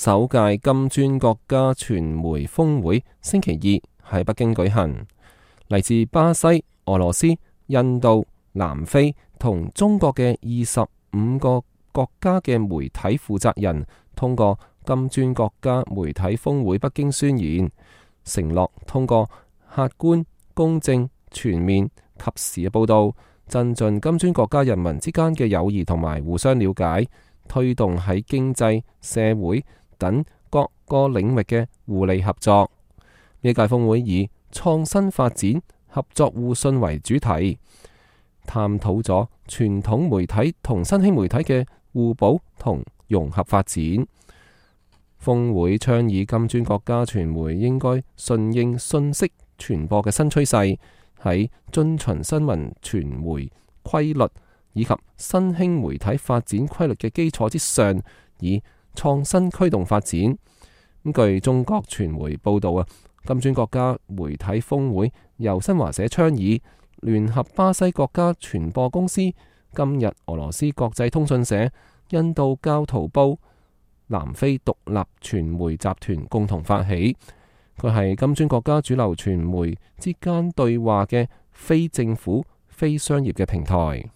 首屆金磚國家傳媒峰會星期二喺北京舉行，嚟自巴西、俄羅斯、印度、南非同中國嘅25個國家嘅媒體負責人通過金磚國家媒體峰會北京宣言，承諾通過客觀、公正、全面、及時嘅報道，增進金磚國家人民之間嘅友誼同埋互相了解，推動喺經濟、社會等各個領域嘅互利合作。呢屆峰會以創新發展、合作互信為主題，探討咗傳統媒體同新興媒體嘅互補同融合發展。峰會倡議金磚國家傳媒應該順應信息傳播嘅新趨勢，喺遵循新聞傳媒規律以及新興媒體發展規律嘅基礎之上，以創新驅動發展。據中國傳媒報道金磚國家媒體峰會由新華社倡議，聯合巴西國家傳播公司、今日俄羅斯國際通訊社、印度教徒報、南非獨立傳媒集團共同發起。佢係金磚國家主流傳媒之間對話嘅非政府、非商業嘅平台。